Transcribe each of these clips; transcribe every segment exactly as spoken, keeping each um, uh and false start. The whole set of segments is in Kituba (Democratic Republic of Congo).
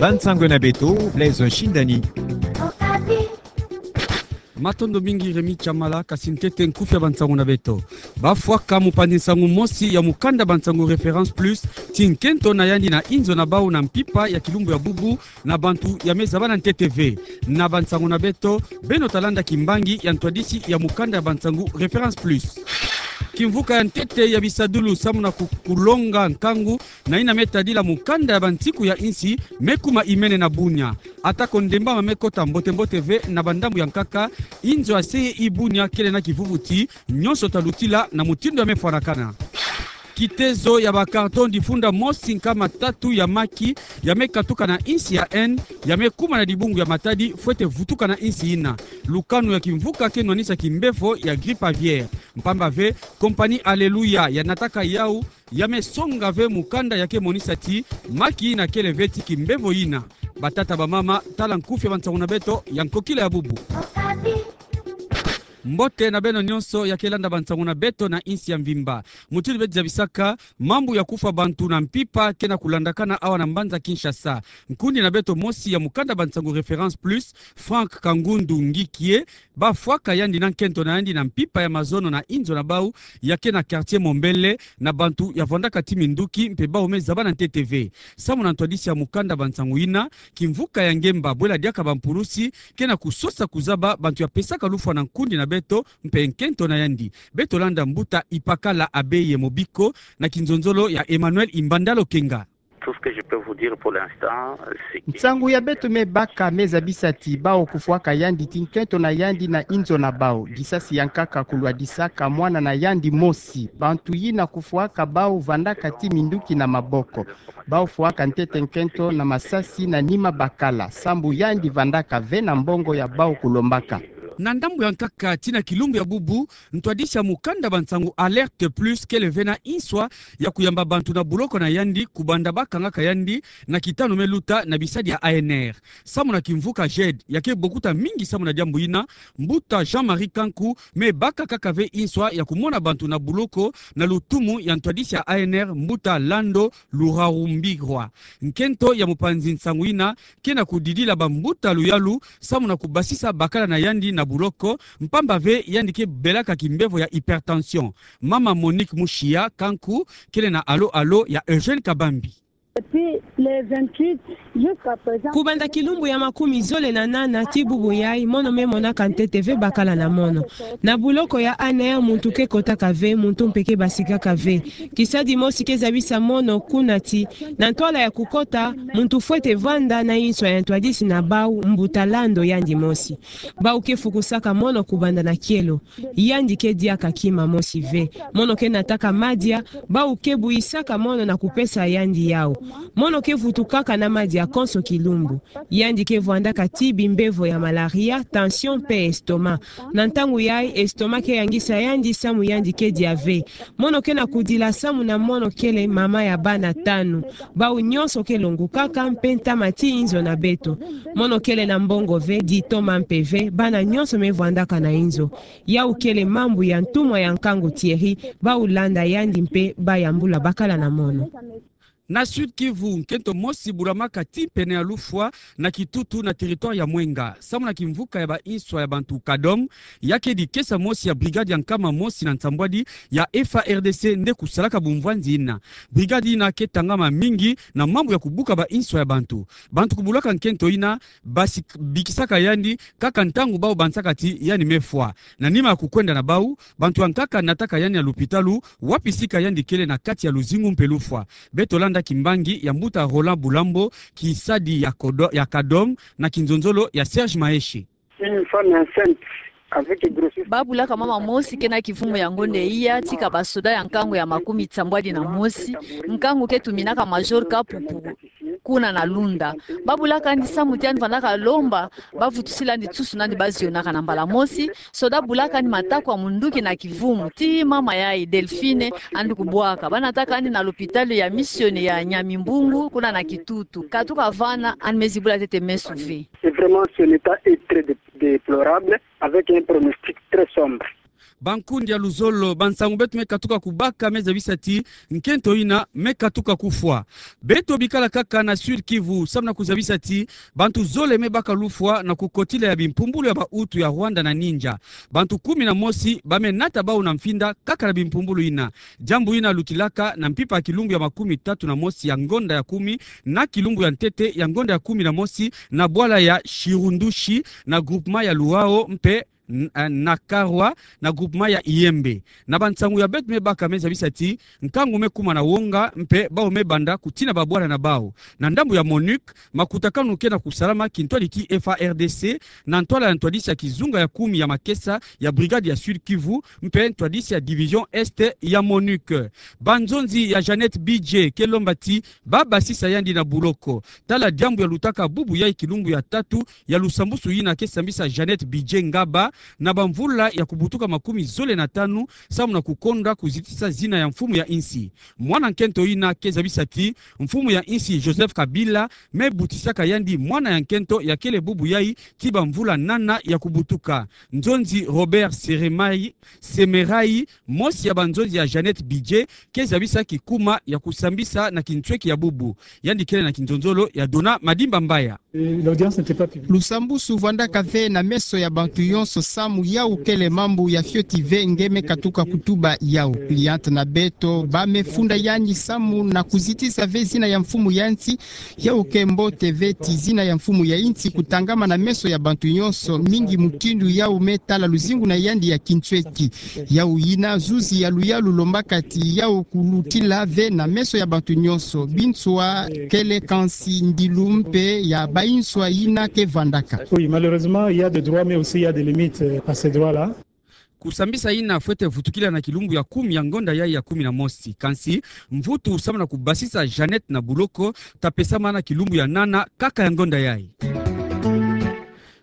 Bansango na beto, Blaise Shindani. Matondo mingi Rémy Tshamala, kasi ntete nkufi ya bansango na beto. Bafwaka mopanzi nsango mosi ya mukanda bansango Référence Plus, ti nkento na yandi na inzo na bau na mpimpa ya kilumbu ya bubu, na bantu ya me zabana ntete ve. Na bansango na beto, beno ta landa kimbangi ya ntwadisi ya mukanda ya bansango Référence Plus. Kimvuka ya ntete ya bisadulu samu na ku-, kulonga nkangu, na yina me tadila mukanda ya bansiku ya insi, me kuma imene na bunia. Atako ndemba ma me kota mbote-mbote ve na bandambu ya nkaka, inzo ya se ye i bunia kele na kivuvuti, nyonso ta lutila na mutindu ya me fwanakana. Kitezo ya ba carton difunda mosi nkama tatu ya maki, ya me katuka na insi ya Inde, ya me kuma na dibungu ya matadi, fwete vutuka na insi yina. Lukanu ya kimvuka ke nwanisa kimbevo ya grippe aviaire. Mpamba ve, compagnie Alléluia ya nataka yau, ya me songa ve mukanda ya ke monisa ti maki yina kele ve ti kimbevo yina. Batata, bamama, tala nkufi ya bansango na beto ya nkokila ya bubu. Mbote na beno nyonso ya ke landa bansango na beto na insi ya mvimba. Mutindu beto zabisaka, mambu ya kufwa bantu na mpimpa ke na kulandakana awa na mbanza Kinshasa. Nkundi na beto mosi ya mukanda bansango Référence Plus, Franck Kangundu Ngikie, bafwaka yandi na nkento na yandi na mpimpa ya mazono na inzo na bau, ya ke na quartier Mombele, na bantu ya vwandaka ti minduki mpe bau me zabana ntete ve. Samu na ntwadisi ya mukanda bansango yina, kimvuka ya ngemba bwela diaka bampulusi ke na kusosa kuzaba bantu ya pesaka lufwa na nkundi na beto mpe nkento na yandi. Beto landa mbuta Ipakala Abeye Mobiko na kinzonzolo ya Emmanuel Imbanda Lokenga. Tout ce que je peux vous dire pour l'instant, c'est que... Nsangu ya beto me baka me zabisa ti bau kufwaka yandi ti nkento na yandi na inzo na bau. Disasi ya nkaka kulwadisaka mwana na yandi mosi. Bantu yina kufwaka bau vandaka ti minduki na maboko. Bau fwaka ntete nkento na masasi na nima bakala. Sambu yandi vandaka ve na mbongo ya bau kulombaka. Na ndambu ya nkaka tii na kilumbu ya bubu, ntwadisi ya mukanda bansangu Alerte Plus kele ve na inswa ya kuyamba bantu na buloko na yandi kubanda bakangaka yandi na kitanu me luta na bisadi ya A N R. Samu na kimvuka J E D ya ke bokuta mingi samu na diambu yina, mbuta Jean-Marie Kanku me baka kaka ve inswa ya kumona bantu na buloko na lutumu ya ntwadisi ya A N R, mbuta Lando Lurarumbirwa. Nkento ya mopanzi nsangu yina ke na kudidila bambuta luyalu samu na kubasisa bakala na yandi na buloko, mpamba ve yandi ke belaka kimbevo ya hypertension. Mama Monique Mushiya Kanku kele na Allô Allô ya Eugène Kabambi. Depuis le vingt-huit jusqu'à présent. Kubanda kilumbu ya makumi zole na nana tii bubu yai, mono me monaka ntete ve bakala na mono. Na buloko ya A N R muntu ke kotaka ve, muntu mpe ke basikaka ve. Kisadi mosi ke zabisa mono kuna ti, na ntwala ya kukota, muntu fwete vanda na inswa ya ntwadisi na bau, mbuta Lando yandi mosi. Bau ke fukusaka mono kubanda na kielo. Yandi ke diaka kima mosi ve. Mono ke nataka madia, bau ke buyisaka mono na kupesa yandi yau. Mono ke vutukaka na madia konso kilumbu. Yandi ke vwandaka tii bimbevo ya malaria, tension mpe estomac. Na ntangu yai, estomac ke yangisa yandi samu yandi ke dia ve. Mono ke na kudila samu na mono kele mama ya bana tanu. Bau nyonso ke longukaka mpe ntama tii inzo na beto. Mono kele na mbongo ve, ditoma mpe ve, bana nyonso me vwandaka na inzo. Yau kele mambu ya ntumwa ya nkangu Thierry, bau landa yandi mpe bayambula bakala na mono. Na Sud-Kivu, nkento mosi bulamaka tii pene ya lufwa na kitutu na territoire ya Mwenga. Samu na kimvuka ya ba inswa ya bantu Kadom, ya ke dikesa mosi ya brigade ya nkama mosi na nsambwadi ya F A R D C nde kusalaka bumvwanzi yina. Brigade yina ke tangama mingi na mambu ya kubuka ba inswa ya bantu. Bantu kubulaka nkento yina, basi bikisaka yandi kaka ntangu bau bansaka ti yandi me fwa. Na nima ya kukwenda na bau, bantu ya nkaka nataka yandi na lupitalu, wapi sika yandi kele na kati ya luzingu mpe lufwa. Beto landa kimbangi ya mbuta Roland Bulambo, kisadi ya Kodo-, ya Kadom, na kinzonzolo ya Serge Maheshe. Une femme enceinte avec grossesse. Babulaka mama mosi ke na kivumu ya ngonde iya, tii ka basoda ya nkangu ya makumi nsambwadi na mosi, nkangu ke tuminaka Major Kapupu kuna na Lunda. Babulaka yandi samu ti yandi vandaka lomba, bavutusila yandi nsusu na yandi bazionaka na mbala mosi. Soda abulaka yandi mataku ya munduki na kivumu, tii mama yai Delphine andi kubwaka. Banataka yandi na lupitalu ya Mission ya Nyamimbungu, kuna na Kitutu. Katuka vana, yandi me zibula ntete meso ve. Et vraiment, son état est très dé-, déplorable, avec un pronostic très sombre. Bankundi ya luzolo, bansangu beto me katuka kubaka me zabisa ti nkento ina me katuka kufwa. Beto bikala kaka na Sud-Kivu, samu na kuzabisa ti bantu zole me baka lufwa na kukotila ya bimpumbulu ya bautu ya Rwanda na Ninja. Bantu kumi na mosi ba me nata bau na mfinda kaka na bimpumbulu ina. Diambu ina lutilaka na mpimpa ya kilumbu ya makumi tatu na mosi ya ngonda ya kumi na kilumbu ya ntete ya ngonda ya kumi na mosi na bwala ya Shirundushi na groupement ya Luao mpe n-, eh, na Karwa na groupement ya Iyembe. Na bansangu ya beto me baka me zabisa ti nkangu me kuma na wonga mpe bau me banda kutina babwala na bau. Na ndambu ya MONUC, makutakanu ke na kusalama kintwadi ti F A R D C na ntwala ya ntwadisi ya kizunga ya kumi ya makesa ya brigade ya Sud-Kivu mpe ntwadisi ya division Est ya MONUC. Banzonzi ya Jeannette Bidje ke lomba ti ba basisa yandi na buloko. Tala diambu ya lutaka bubu yai kilumbu ya tatu ya lusambusu ina ke sambisa Jeannette Bidje Ngaba na bamvula ya kubutuka makumi zole na tanu, samu na kukonda kuzitisa zina ya mfumu ya insi. Mwana nkento ina ke zabisa ti mfumu ya insi Joseph Kabila me butisaka yandi mwana ya nkento ya kele bubu yai ti bamvula nana ya kubutuka. Nzonzi Robert Seremai, Semerai, mosi ya banzonzi ya Jeannette Bidje, ke zabisa kikuma ya kusambisa na kinsweki ya bubu. Yandi kele na kinzonzolo ya Dona Madimba Mbaya. L'audience n'était pas publique. Lusambusu vwandaka ve na meso ya bantu yonso samu yau kele mambu ya fioti ve nge me katuka kutuba yau. Cliente na beto ba me funda yandi samu na kuzitisa ve zina ya mfumu ya insi, yau ke mbote ve ti zina ya mfumu ya insi kutangama na meso ya bantu yonso, mingi mutindu yau me tala luzingu na yandi ya kinsweki. Yau yina zuzi ya luyalu lombaka ti yau kulutila ve na meso ya bantu yonso. Binswa kele kansi ndilu mpe ya bayinswa yina ke vwandaka. Oui, malheureusement, il y a des droits, mais aussi il y a des limites, euh, à ces droits-là. Kusambisa ina fwete vutukila na kilumbu ya kumi ya ngonda yai ya kumi na mosi. Kansi mvutu samu na kubasisa Jeannette na buloko ta pesama na kilumbu ya nana kaka ya ngonda yai.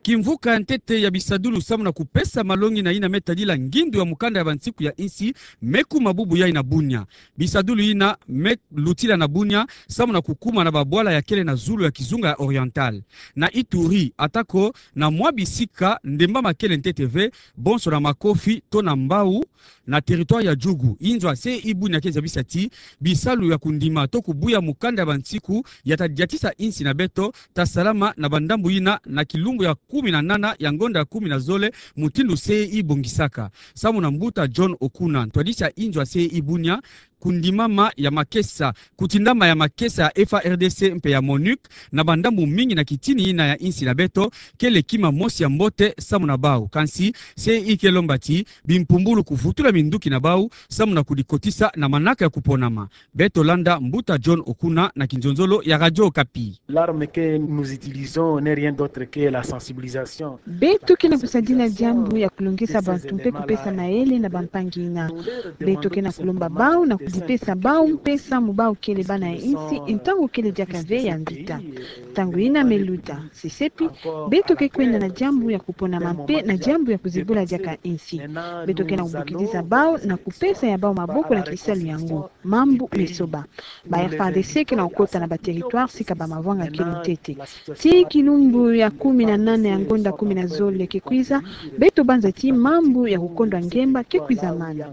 Kimvuka ya ntete ya bisadulu samu na kupesa malongi na ina me tadila ngindu ya mukanda ya bansiku ya insi me kuma bubu yai na Bunia. Bisadulu ina me lutila na Bunia samu na kukuma na babwala ya kele na zulu ya kizunga ya Oriental, na Ituri, atako na mwa bisika ndemba ma kele ntete ve, bonso na makofi to na mbau, na territoire ya Djugu. Inzo ya C E I Bunia ke zabisa ti bisalu ya kundima to kubuya mukanda ya bansiku ya ta diatisa insi na beto ta salama na bandambu ina na kilumbu ya kumi na nana ya ngonda ya kumi na zole, mutindu C E I bongisaka. Samu na mbuta John Okuna, ntwadisi ya inzo ya C E I Bunia, kundimama ya makesa, kutindama ya makesa ya F A R D C mpe ya MONUC na bandambu mingi na kitini ina ya insi na beto, kele kima mosi ya mbote samu na bau. Kansi C E I ke lomba ti bimpumbulu kuvutula minduki na bau samu na kudikotisa na manaka ya kuponama. Beto landa mbuta John Okuna na kinzonzolo ya Radio Okapi. L'arme que nous utilisons n'est rien d'autre que la sensibilisation. Beto ke na kusadila diambu ya kulongisa bantu mpe kupesa mayele na bampangi ina. Beto ke na kulomba bau na kudipesa bau mpe samu bau kele bana ya insi, ntangu kele diaka ve ya mvita. Ntangu ina me luta, sesepi, beto ke kwenda na diambu ya kuponama mpe na diambu ya kuzibula diaka insi. Beto ke na kubokidisa bau na kupesa ya bau maboko na kisalu yango. Mambu me soba. Ba F A R D C ke na kukota na ba territoire sika ba mavwanga kilo ntete. Tii kilumbu ya kumi na nana ya ngonda kumi na zole ke kwiza, beto banza ti mambu ya kukondwa ngemba ke kwiza mana.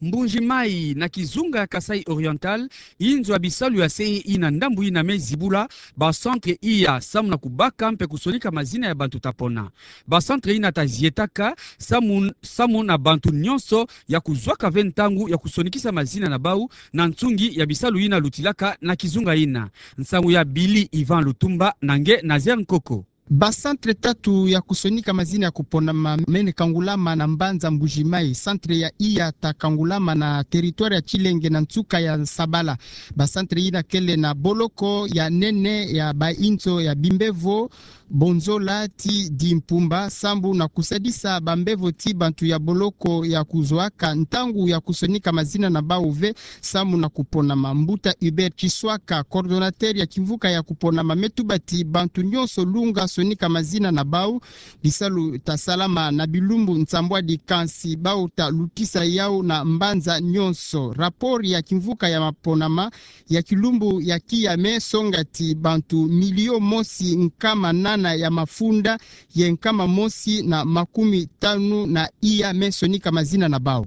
Mbuji-Mayi, na kizunga ya Kasaï Oriental, inzo ya bisalu ya C E I na ndambu ina me zibula ba centre iya samu na kubaka mpe kusonika mazina ya bantu ta pona. Ba centre ina ta zietaka samu, samu na bantu nyonso ya kuzwaka ve ntangu ya kusonikisa mazina na bau na nsungi ya bisalu ina lutilaka na kizunga ina. Nsangu ya Billy Ivan Lutumba na nge Nazaire Nkoko. Ba centre tatu ya kusonika mazina ya kuponama mene kangulama na mbanza Mbuji-Mayi. Centre ya iya ta kangulama na territoire ya Tshilenge na nsuka ya Nsabala. Ba centre ina kele na boloko ya nene ya ba inzo ya Bimbevo, Bonzola ti Dimpumba, sambu na kusadisa bambevo ti bantu ya boloko ya kuzwaka ntangu ya kusonika mazina na bau ve, sambu na kuponama. Mbuta Hubert Tshiswaka, coordonnateur ya kimvuka ya kuponama, me tuba ti bantu nyonso lunga sonika mazina na bau, bisalu ta salama na bilumbu nsambwadi, kansi bau ta lutisa yau na mbanza nyonso. Rapport ya kimvuka ya maponama ya kilumbu ya kiya me songa ti bantu milio mosi nkama nana bana ya mafunda ye nkama mosi na makumi tanu na iya me sonika mazina na bau.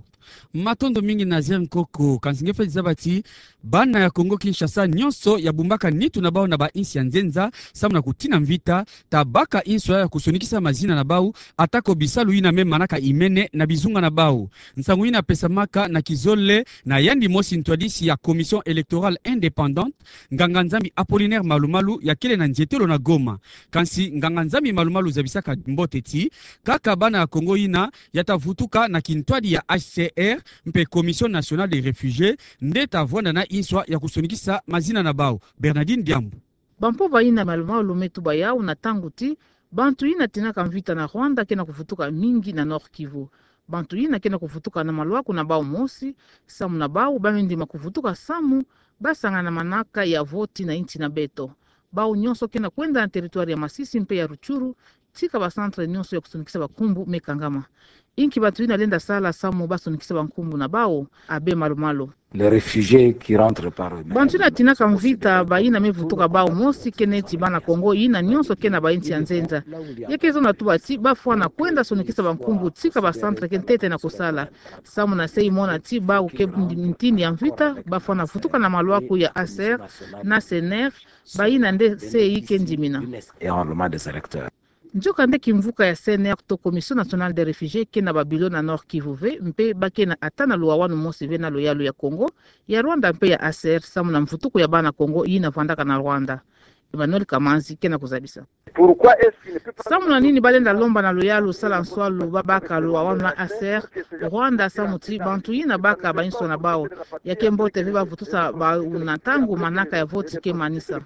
Matondo mingi Nazaire Nkoko. Kansi nge feti zaba ti bana ya Kongo Kinshasa nyonso ya bumbaka nitu na bau na bainsi ya nzenza samu na kutina mvita, ta baka inswa ya kusonikisa mazina na bau, atako bisalu yina me manaka imene na bizunga na bau. Nsangu yina pesamaka na kizole na yandi mosi ntwadisi ya Commission électorale indépendante, nganga-Nzambi Apollinaire Malu Malu, ya kele na nzietelo na Goma. Kansi nganga-Nzambi Malu Malu zabisaka mbote ti kaka bana ya Kongo yina ya ta vutuka na kintwadi ya H C R mpe Commission nationale des réfugiés nde ta vwanda na inswa ya kusonikisa mazina na bau. Bernardine Diambu. Bampova yina Malu Malu me tuba yau na ntangu ti bantu yina tinaka mvita na Rwanda ke na kuvutuka mingi na Nord-Kivu. Bantu yina ke na kuvutuka na malwaku na bau mosi, samu na bau ba me ndima kuvutuka samu ba sangana na manaka ya voti na insi na beto. Bau nyonso ke na kwenda na territoire ya Masisi mpe ya Rutshuru, tika ba centre nyonso ya kusonikisa bankumbu me kangama. Inki bantu yina lenda sala samu ba sonikisa bankumbu na bau? Abbé Malu Malu. Les réfugiés qui rentrent par eux-mêmes. Bantu yina tinaka mvita, bayina me vutuka bau mosi, ke neti bana Kongo yina nyonso ke na bainsi ya nzenza. Ya ke zonza tuba ti ba fwana kwenda sonikisa bankumbu tika ba centre ke ntete na kusala. Samu na se imona ti bau ke ntini ya mvita, ba fwana vutuka na malwaku ya H C R na C N R, bayina nde se yi ke ndimina. Et enrôlement des électeurs. Nzokande kimvuka ya C N R to Commission nationale des réfugiés ke na ba bureau na Nord-Kivu ve, mpe ba ke na ata na luwawanu mosi ve na luyalu ya Kongo, ya Rwanda mpe ya H C R samu na mvutuku ya bana Kongo yina vandaka na Rwanda. Emmanuel Kamanzi ke na kuzabisa. Pourquoi est-ce qu'il ne peut pas... Samu na nini ba lenda lomba na luyalu sala nswalu ba baka luwawanu na H C R, Rwanda, samu ti bantu yina baka bainswa na bau? Ya ke mbote ve ba vutusa bau na ntangu manaka ya voti ke manisa.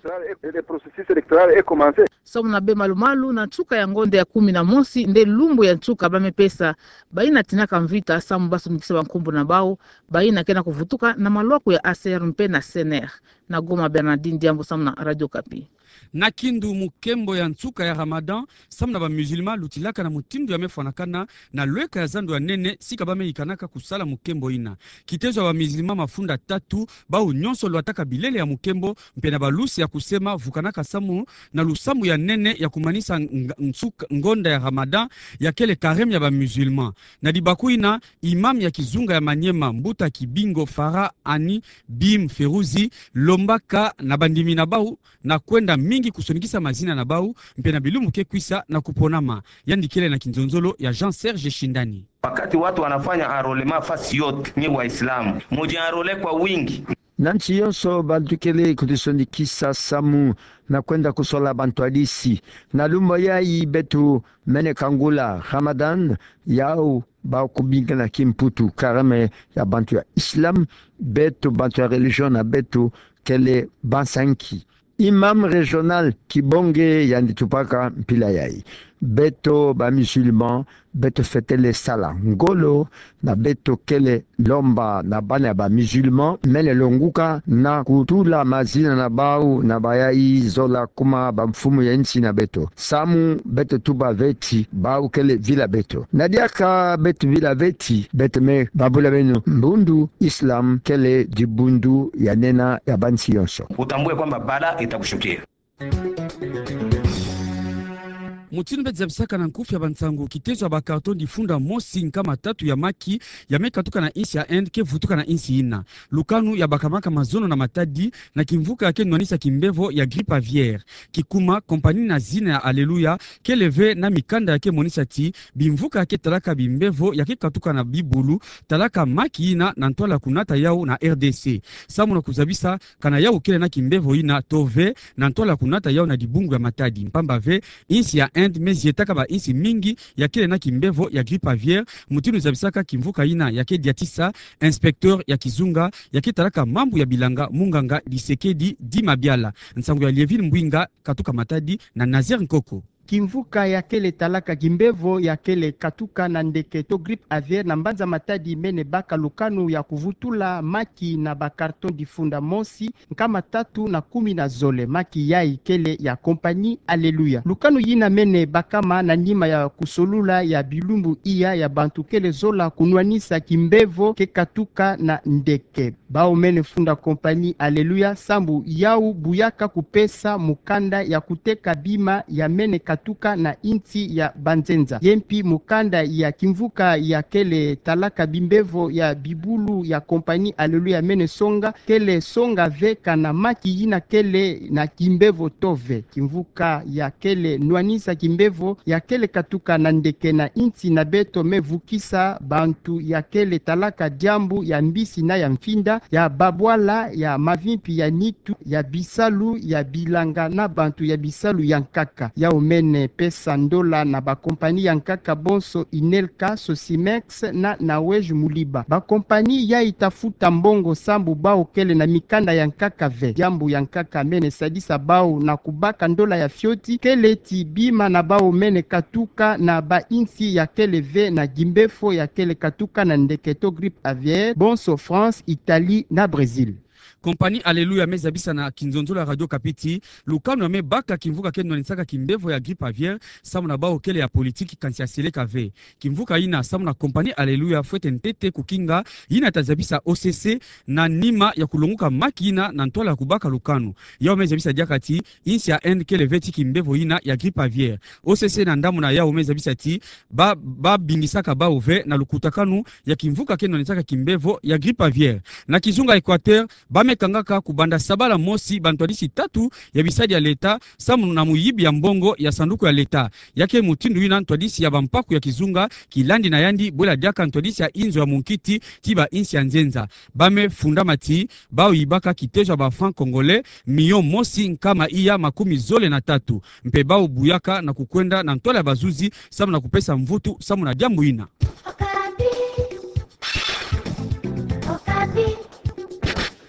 Et le processus électoral est commencé. Samu na Abbé Malu Malu, na nsuka ya ngonda ya kumi na mosi nde lumbu ya nsuka ba me pesa bayina tinaka mvita samu ba sonikisa bankumbu na bau, bayina ke na kuvutuka na malwaku ya H C R mpe na C N R. Na Goma, Bernardine Diambu samu na Radio Okapi. Na kindu, mukembo ya nsuka ya Ramadan samu na ba musulmans lutilaka na mutindu ya me fwanakana na lweka ya zandu ya nene sika ba me yikanaka kusala mukembo yina. Kitezo ya ba musulmans mafunda tatu, bau nyonso lwataka bilele ya mukembo mpe na balusi ya kusema vukanaka samu na lusambu ya nene ya kumanisa ng-, nsuka, ngonda ya Ramadan, ya kele carême ya ba musulmans. Na dibaku yina, imam ya kizunga ya Maniema, Mbuta Kibingo Farah Ani Bim Feruzi, lombaka na bandimi na bau na kwenda mingi kusonikisa mazina na bau mpe na bilumbu ke kwisa na kuponama. Yandi kele na kinzonzolo ya Jean Serge Shindani. Wakati watu wanafanya enrôlement fasi yote, nyi Waislamu, mujienrôler kwa wingi. Na nsi yonso bantu kele kutusonikisa samu na kwenda kusola bantwadisi. Na lumbu yayi beto mene kangula Ramadan, yau ba kubinga na kimputu carême ya bantu ya Islam, beto bantu ya religion na beto kele bansanki. Imam régional Kibonge yandi tubaka mpila yayi: beto ba musulmans, beto fwetele sala ngolo, na beto kele lomba na bana ya ba musulmans mene longuka na kutula mazina na bau na bayayi zola kuma bamfumu ya nsi na beto. Samu beto tuba ve ti bau kele vila beto. Na diaka beto vila ve ti, beto me babula beno mbundu Islam kele dibundu ya nena ya bansi yonso. Utambue kwamba balaa itakushukia. Mutindu beto zabisaka na nkufi ya bansangu, kitezo ya ba carton difunda mosi nkama tatu ya maki ya me katuka na insi ya Inde ke vutuka na insi yina. Lukanu ya bakamaka mazono na matadi na kimvuka ya ke nwanisa kimbevo ya grippe aviaire. Kikuma, compagnie na zina ya Alleluia kele ve na mikanda ya ke monisa ti bimvuka ya ke talaka bimbevo ya ke katuka na bibulu, talaka maki yina na ntwala kunata yau na R D C. Samu na kuzabisa kana yau kele na kimbevo yina to ve, na ntwala kunata yau na dibungu ya matadi. Mpamba ve, insi ya Inde me zietaka bainsi mingi ya kele na kimbevo ya grippe aviaire, mutindu zabisaka kimvuka yina ya ke diatisa inspecteur ya kizunga ya ke talaka mambu ya bilanga, munganga Tshisekedi Dimabiala. Nsangu ya Lievine Mbwinga, katuka Matadi, na Nazaire Nkoko. Kimvuka ya kele talaka kimbevo ya kele katuka na ndeke to grippe aviaire na mbanza Matadi mene baka lukanu ya kuvutula maki na ba carton difunda mosi nkama tatu na kumi na zole. Maki yayi kele ya compagnie Alleluia. Lukanu yina mene bakama na nima ya kusolula ya bilumbu iya ya bantu kele zola kunwanisa kimbevo ke katuka na ndeke. Bau mene funda kompani Aleluya sambu yau buyaka kupesa mukanda ya kuteka bima ya mene katuka na insi ya banzenza. Ye mpi mukanda ya kimvuka ya kele talaka bimbevo ya bibulu ya kompani Aleluya mene songa, kele songa ve kana maki yina kele na kimbevo to ve. Kimvuka ya kele nwanisa kimbevo ya kele katuka na ndeke na insi na beto me vukisa bantu ya kele talaka diambu ya mbisi na ya mfinda, ya babwala, ya mavimpi ya nitu, ya bisalu ya bilanga na bantu ya bisalu ya nkaka. Yau mene pesa ndola na bakompani ya nkaka bonso, Inelka, Sosimex na Nawej Muliba. Bakompani yayi ta futa mbongo sambu bau kele na mikanda ya nkaka ve. Diambu ya nkaka mene sadisa bau na kubaka ndola ya fioti, kele ti bima na bau mene katuka na bainsi ya kele ve na gimbefo ya kele katuka na ndeke to grippe aviaire, bonso France, Italie na Brésil. Kompani Aleluya me zabisa na kinzonzolo ya Radio Okapi ti lukanu ya me baka kimvuka ke nwanisaka kimbevo ya grippe aviaire samu na bau kele ya politiki kansi ya seleka ve. Kimvuka yina samu na kompani Aleluya fwete ntete kukinga yina ta zabisa O C C na nima ya kulonguka maki yina na ntwala ya kubaka lukanu. Yau me zabisa diaka ti insi ya Inde kele ve ti kimbevo yina ya grippe aviaire. O C C na ndambu na yau me zabisa ti ba, babingisaka bau ve na lukutakanu ya kimvuka ke nwanisaka kimbevo ya grippe aviaire. Na kizunga Équateur, ba me kangaka kubanda sabala mosi bantwadisi tatu ya bisadi ya leta samu na muyibi ya mbongo ya sanduku ya leta. Ya ke mutindu yina ntwadisi ya bampaku ya kizunga kilandi na yandi bwela diaka ntwadisi ya inzo ya munkiti ti bainsi ya nzenza. Ba me fundama ti bau yibaka kitezo ya ba francs congolais million mosi nkama iya makumi zole na tatu. Mpe bau buyaka na kukwenda na ntwala ya bazuzi samu na kupesa mvutu samu na diambu yina.